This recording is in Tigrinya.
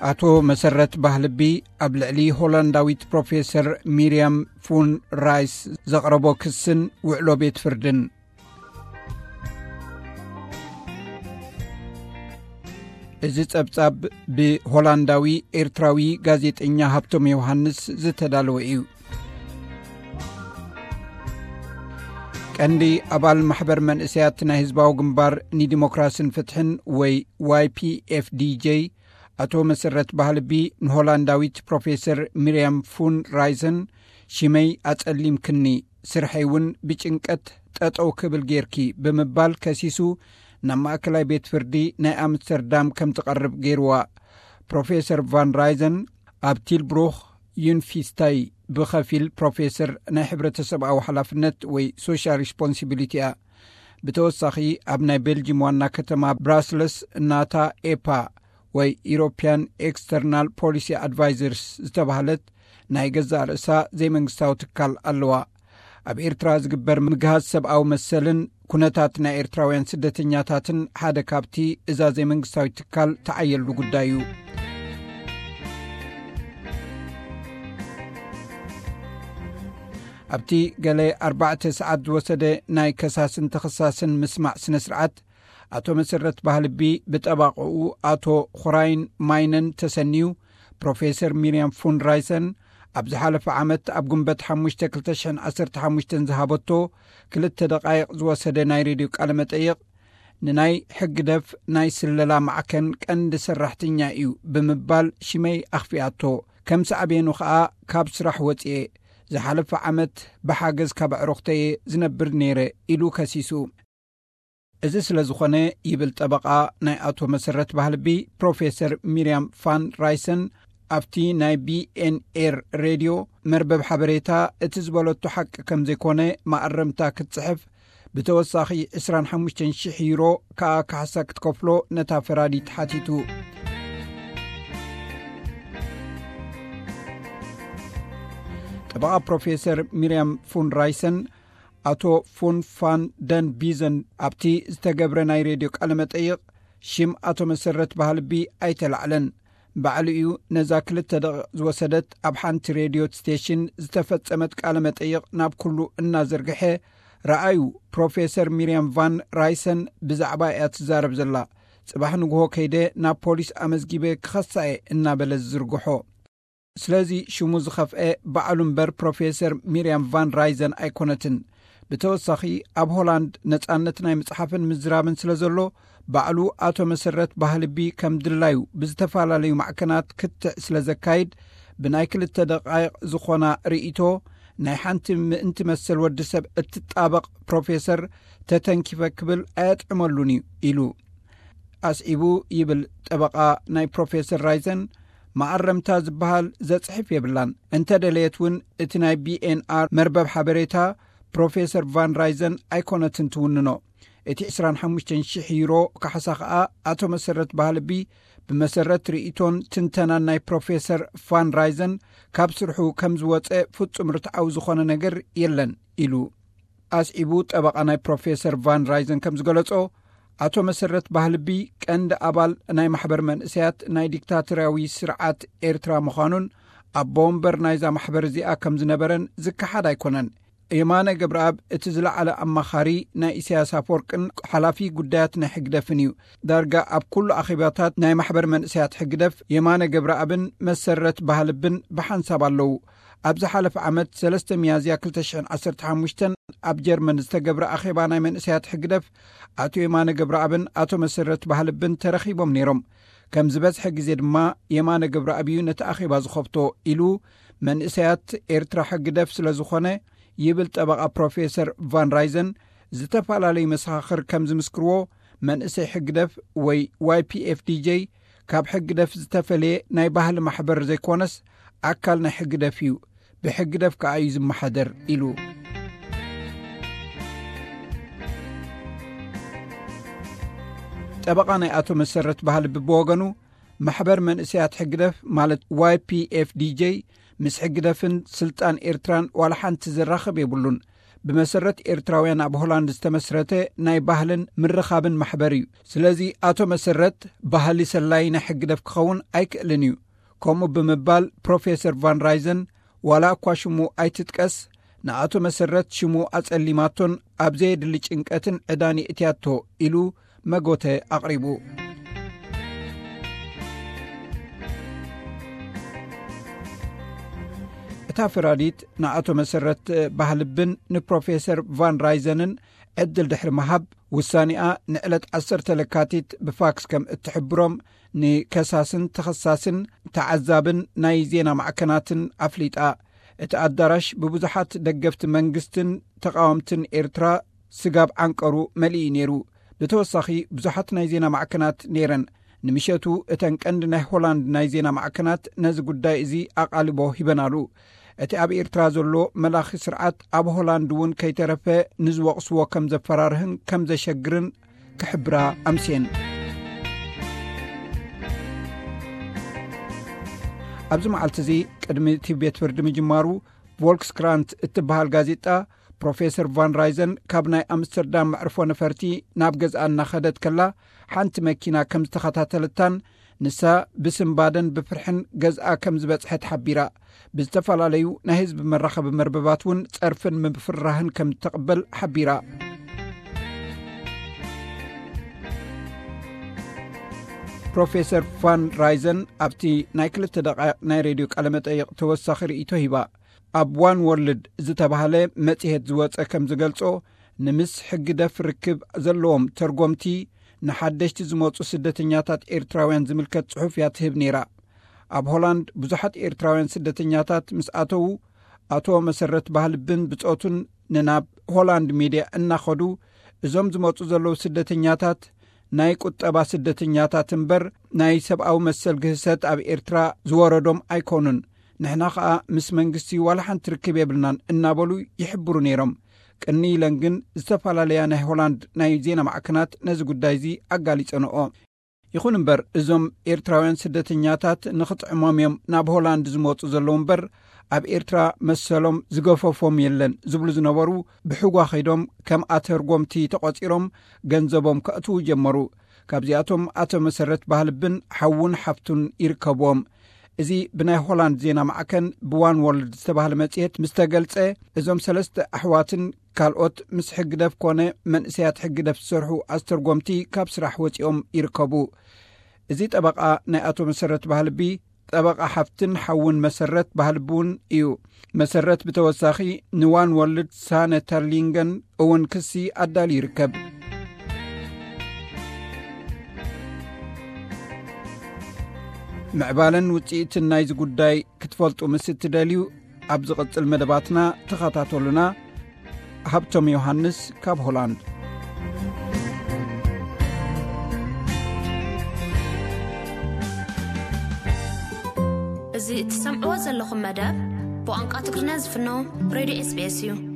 ኣቶ መሰረት ባህልቢ ኣብ ልዕሊ ሆላንዳዊት ፕሮፌሰር ሚርያም ፉን ራይስ ዘቕረቦ ክስን ውዕሎ ቤት ፍርድን። እዚ ጸብጻብ ብሆላንዳዊ ኤርትራዊ ጋዜጠኛ ሃብቶም ዮሃንስ ዝተዳለወ እዩ። ቀንዲ ኣባል ማሕበር መንእሰያት ናይ ህዝባዊ ግንባር ንዲሞክራስን ፍትሕን ወይ ዋይ ፒ ኤፍ ዲ ጄ ኣቶ መሰረት ባህልቢ ንሆላንዳዊት ፕሮፌሰር ሚርያም ፉን ራይሰን ሽመይ ኣጸሊምክኒ፣ ስርሐይ እውን ብጭንቀት ጠጠው ክብል ጌርኪ ብምባል ከሲሱ ናብ ማእከላይ ቤት ፍርዲ ናይ ኣምስተርዳም ከም ትቐርብ ገይርዋ። ፕሮፌሰር ቫን ራይዘን ኣብ ቲልብሩኽ ዩንፊስታይ ብኸፊል ፕሮፌሰር ናይ ሕብረተሰብኣዊ ሓላፍነት ወይ ሶሻል ሪስፖንሲቢሊቲ እያ። ብተወሳኺ ኣብ ናይ ቤልጂም ዋና ከተማ ብራስለስ ናታ ኤፓ ወይ ኢሮፕያን ኤክስተርናል ፖሊሲ ኣድቫይዘርስ ዝተባህለት ናይ ገዛእ ርእሳ ዘይመንግስታዊ ትካል ኣለዋ። ኣብ ኤርትራ ዝግበር ምግሃስ ሰብኣዊ መሰልን ኩነታት ናይ ኤርትራውያን ስደተኛታትን ሓደ ካብቲ እዛ ዘይመንግስታዊት ትካል ተዓየሉ ጉዳይ እዩ። ኣብቲ ገለ ኣርባዕተ ሰዓት ዝወሰደ ናይ ከሳስን ተኸሳስን ምስማዕ ስነ ስርዓት፣ ኣቶ መሰረት ባህልቢ ብጠባቕኡ ኣቶ ኹራይን ማይነን ተሰንዩ፣ ፕሮፌሰር ሚርያም ፉን ራይሰን ኣብ ዝሓለፈ ዓመት ኣብ ግንቦት ሓሙሽተ ክልተ ሽሕን ዓሰርተ ሓሙሽተን ዝሃበቶ ክልተ ደቓይቕ ዝወሰደ ናይ ሬድዮ ቃለ መጠይቕ፣ ንናይ ሕግደፍ ናይ ስለላ ማዕከን ቀንዲ ሰራሕተኛ እዩ ብምባል ሽመይ ኣኽፊኣቶ። ከም ሳዕቤኑ ኸኣ ካብ ስራሕ ወጽኤ፣ ዝሓለፈ ዓመት ብሓገዝ ካብ ኣዕሩኽተየ ዝነብር ነይረ ኢሉ ከሲሱ። እዚ ስለ ዝኾነ፣ ይብል ጠበቓ ናይ ኣቶ መሰረት ባህልቢ፣ ፕሮፌሰር ሚርያም ፋን ራይሰን ኣብቲ ናይ ቢ ኤን ኤር ሬድዮ መርበብ ሓበሬታ እቲ ዝበለቶ ሓቂ ከም ዘይኮነ መኣረምታ ክትጽሕፍ፣ ብተወሳኺ ዕስራን ሓሙሽተን ሽሕ ዩሮ ከኣ ካሕሳ ክትከፍሎ ነታ ፈራዲት ሓቲቱ። ጠበቓ ፕሮፌሰር ሚርያም ፉን ራይሰን ኣቶ ፉን ፋን ደን ቢዘን ኣብቲ ዝተገብረ ናይ ሬድዮ ቃለ መጠይቕ ሽም ኣቶ መሰረት ባህልቢ ኣይተላዕለን። ባዕሉ እዩ ነዛ ክልተ ደቂቕ ዝወሰደት ኣብ ሓንቲ ሬድዮ ስቴሽን ዝተፈጸመት ቃለ መጠይቕ ናብ ኩሉ እናዘርግሐ፣ ረኣዩ፣ ፕሮፌሰር ሚርያም ቫን ራይሰን ብዛዕባ እያ ትዛረብ ዘላ። ጽባሕ ንግሆ ከይደ ናብ ፖሊስ ኣመዝጊበ ክኸሳ እየ እናበለ ዝዝርግሖ። ስለዚ ሽሙ ዝኸፍአ ባዕሉ እምበር ፕሮፌሰር ሚርያም ቫን ራይዘን ኣይኮነትን። ብተወሳኺ ኣብ ሆላንድ ነጻነት ናይ ምጽሓፍን ምዝራብን ስለ ዘሎ፣ ባዕሉ ኣቶ መሰረት ባህልቢ ከም ድላዩ ብዝተፈላለዩ ማዕከናት ክትዕ ስለ ዘካይድ፣ ብናይ ክልተ ደቓይቕ ዝኾና ርእይቶ ናይ ሓንቲ ምእንቲ መሰል ወዲ ሰብ እትጣበቕ ፕሮፌሰር ተተንኪፈ ክብል ኣየጥዕመሉን እዩ ኢሉ። ኣስዒቡ ይብል ጠበቓ ናይ ፕሮፌሰር ራይዘን፣ መኣረምታ ዝበሃል ዘጽሕፍ የብላን። እንተ ደለየት እውን እቲ ናይ ቢ ኤን ኣር መርበብ ሓበሬታ ፕሮፌሰር ቫን ራይዘን ኣይኮነትን ትውንኖ። እቲ ዕስራን ሓሙሽተን ሽሕ ዩሮ ካሕሳ ኸኣ ኣቶ መሰረት ባህልቢ ብመሰረት ርእይቶን ትንተናን ናይ ፕሮፌሰር ቫን ራይዘን ካብ ስርሑ ከም ዝወጸ ፍጹም ርትዓዊ ዝኾነ ነገር የለን ኢሉ። ኣስዒቡ ጠበቓ ናይ ፕሮፌሰር ቫን ራይዘን ከም ዝገለጾ፣ ኣቶ መሰረት ባህልቢ ቀንዲ ኣባል ናይ ማሕበር መንእሰያት ናይ ዲክታቶርያዊ ስርዓት ኤርትራ ምዃኑን ኣቦ ወንበር ናይዛ ማሕበር እዚኣ ከም ዝነበረን ዝከሓድ ኣይኮነን። የማነ ገብረኣብ እቲ ዝለዓለ ኣማኻሪ ናይ ኢሳያስ ኣፈወርቅን ሓላፊ ጉዳያት ናይ ሕግደፍን እዩ። ዳርጋ ኣብ ኩሉ ኣኼባታት ናይ ማሕበር መንእሰያት ሕግደፍ የማነ ገብረኣብን መሰረት ባህልብን ብሓንሳብ ኣለዉ። ኣብ ዝሓለፈ ዓመት ሰለስተ ሚያዝያ ክልተ ሽሕን ዓሰርተ ሓሙሽተን ኣብ ጀርመን ዝተገብረ ኣኼባ ናይ መንእሰያት ሕግደፍ ኣቶ የማነ ገብረኣብን ኣቶ መሰረት ባህልብን ተረኺቦም ነይሮም። ከም ዝበዝሐ ግዜ ድማ የማነ ገብረኣብ እዩ ነቲ ኣኼባ ዝኸፍቶ ኢሉ መንእሰያት ኤርትራ ሕግደፍ ስለ ዝኾነ ይብል ጠበቓ ፕሮፌሰር ቫን ራይዘን፣ ዝተፈላለዩ መሰኻኽር ከም ዝምስክርዎ መንእሰይ ሕግደፍ ወይ ዋይ ፒ ኤፍ ዲ ጄ ካብ ሕግደፍ ዝተፈለየ ናይ ባህሊ ማሕበር ዘይኮነስ ኣካል ናይ ሕግደፍ እዩ፣ ብሕግደፍ ከኣ እዩ ዝመሓደር ኢሉ። ጠበቓ ናይ ኣቶ መሰረት ባህልቢ ብወገኑ፣ ማሕበር መንእሰያት ሕግደፍ ማለት ዋይ ፒ ኤፍ ዲ ጄ ምስ ሕግደፍን ስልጣን ኤርትራን ዋላ ሓንቲ ዘራኽብ የብሉን። ብመሰረት ኤርትራውያን ኣብ ሆላንድ ዝተመስረተ ናይ ባህልን ምርኻብን ማሕበር እዩ። ስለዚ ኣቶ መሰረት ባህሊ ሰላይ ናይ ሕግደፍ ክኸውን ኣይክእልን እዩ። ከምኡ ብምባል ፕሮፌሰር ቫን ራይዘን ዋላ እኳ ሽሙ ኣይትጥቀስ፣ ንኣቶ መሰረት ሽሙ ኣጸሊማቶን ኣብ ዘየድሊ ጭንቀትን ዕዳን የእትያቶ ኢሉ መጎተ ኣቕሪቡ። እታ ፈራዲት ንኣቶ መሰረት ባህልብን ንፕሮፌሰር ቫን ራይዘንን ዕድል ድሕሪ ምሃብ፣ ውሳኔኣ ንዕለት ዓሰርተ ለካቲት ብፋክስ ከም እትሕብሮም ንከሳስን ተኸሳስን ተዓዛብን ናይ ዜና ማዕከናትን ኣፍሊጣ። እቲ ኣዳራሽ ብብዙሓት ደገፍቲ መንግስትን ተቓወምትን ኤርትራ ስጋብ ዓንቀሩ መሊኡ ነይሩ። ብተወሳኺ፣ ብዙሓት ናይ ዜና ማዕከናት ነይረን። ንምሸቱ እተን ቀንዲ ናይ ሆላንድ ናይ ዜና ማዕከናት ነዚ ጉዳይ እዚ ኣቓልቦ ሂበናሉ። እቲ ኣብ ኤርትራ ዘሎ መላኺ ስርዓት ኣብ ሆላንድ እውን ከይተረፈ ንዝወቕስዎ ከም ዘፈራርህን ከም ዘሸግርን ክሕብራ ኣምስየን። ኣብዚ መዓልቲ እዚ ቅድሚ እቲ ቤት ፍርዲ ምጅማሩ፣ ቮልክስክራንት እትበሃል ጋዜጣ ፕሮፌሰር ቫን ራይዘን ካብ ናይ ኣምስተርዳም መዕርፎ ነፈርቲ ናብ ገዝኣ እናኸደት ከላ ሓንቲ መኪና ከም ዝተኸታተለታን ንሳ ብስንባደን ብፍርሕን ገዝኣ ከም ዝበጽሐት ሓቢራ። ብዝተፈላለዩ ናይ ህዝቢ መራኸቢ መርበባት እውን ጸርፍን ምፍርራህን ከም እተቕበል ሓቢራ። ፕሮፌሰር ቫን ራይዘን ኣብቲ ናይ ክልተ ደቃይቕ ናይ ሬድዮ ቃለመጠይቕ ተወሳኺ ርእይቶ ሂባ። ኣብ ዋን ወርልድ ዝተባህለ መጽሔት ዝወጸ ከም ዝገልጾ፣ ንምስ ሕግደፍ ርክብ ዘለዎም ተርጎምቲ ንሓደሽቲ ዝመጹ ስደተኛታት ኤርትራውያን ዝምልከት ጽሑፍ እያ ትህብ ነይራ። ኣብ ሆላንድ ብዙሓት ኤርትራውያን ስደተኛታት ምስ ኣተዉ፣ ኣቶ መሰረት ባህልብን ብጾቱን ንናብ ሆላንድ ሜድያ እናኸዱ፣ እዞም ዝመጹ ዘለዉ ስደተኛታት ናይ ቁጠባ ስደተኛታት እምበር ናይ ሰብኣዊ መሰል ግህሰት ኣብ ኤርትራ ዝወረዶም ኣይኮኑን። ንሕና ኸኣ ምስ መንግስቲ ዋላ ሓንቲ ርክብ የብልናን እናበሉ ይሕብሩ ነይሮም። ቅኒ ኢለን ግን ዝተፈላለያ ናይ ሆላንድ ናይ ዜና ማዕከናት ነዚ ጉዳይ እዚ ኣጋሊጸንኦ። ይኹን እምበር፣ እዞም ኤርትራውያን ስደተኛታት ንኽጥዕሞም እዮም ናብ ሆላንድ ዝመጹ ዘለዉ እምበር፣ ኣብ ኤርትራ መሰሎም ዝገፈፎም የለን ዝብሉ ዝነበሩ፣ ብሕጓ ኸይዶም ከም ኣተርጎምቲ ተቖጺሮም ገንዘቦም ከእትዉ ጀመሩ። ካብዚኣቶም ኣቶ መሰረት ባህልብን ሓውን ሓፍቱን ይርከብዎም። እዚ ብናይ ሆላንድ ዜና ማዕከን ብዋን ወርልድ ዝተባህለ መጽሔት ምስ ተገልጸ፣ እዞም ሰለስተ ኣሕዋትን ካልኦት ምስ ሕግደፍ ኮነ መንእሰያት ሕግደፍ ዝሰርሑ ኣስተርጎምቲ ካብ ስራሕ ወጺኦም ይርከቡ። እዚ ጠበቓ ናይ ኣቶ መሰረት ባህልቢ፣ ጠበቓ ሓፍትን ሓውን መሰረት ባህልቢ እውን እዩ። መሰረት ብተወሳኺ ንዋን ወርልድ ሳነ ተርሊንገን እውን ክሲ ኣዳልዩ ይርከብ። ምዕባለን ውጽኢትን ናይዚ ጉዳይ ክትፈልጡ ምስ እትደልዩ፣ ኣብ ዝቕጽል መደባትና ተኸታተሉና። ሃብቶም ዮሃንስ ካብ ሆላንድ። እዚ እትሰምዕዎ ዘለኹም መደብ ብቋንቋ ትግርኛ ዝፍኖ ሬድዮ ኤስቢኤስ እዩ።